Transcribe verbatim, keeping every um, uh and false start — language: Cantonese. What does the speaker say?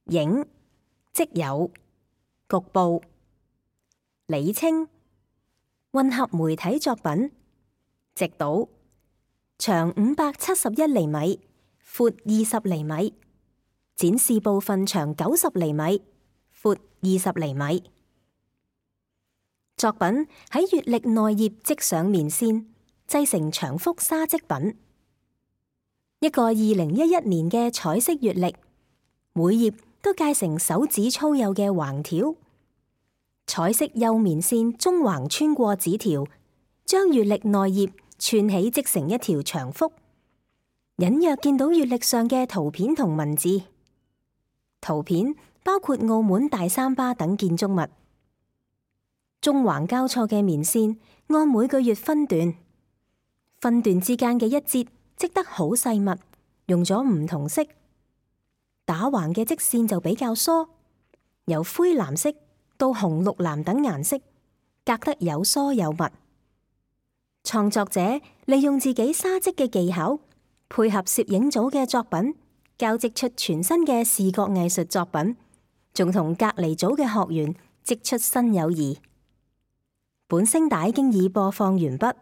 影、即有、局部。理稱：混合媒體作品，直倒，長五百七十一厘米，闊二十厘米，展示部分長九十厘米，闊二十厘米。作品喺月曆內頁織上棉線，製成長幅紗織品。一個二零一一年嘅彩色月曆，每頁都界成手指粗幼嘅橫條，彩色幼棉線中橫穿過紙條，將月曆內頁串起織成一條長幅，隱約見到月曆上嘅圖片同文字。圖片包括澳門大三巴等建築物。中橫交錯嘅棉線按每個月分段，分段之間嘅一節織得好細密，用咗唔同色。打橫嘅織線就比較疏，由灰藍色到紅綠藍等顏色，隔得有疏有密。創作者利用自己紗織嘅技巧，配合攝影組嘅作品，交織出全新嘅視覺藝術作品，仲同隔離組嘅學員織出新友誼。本聲帶經已播放完畢。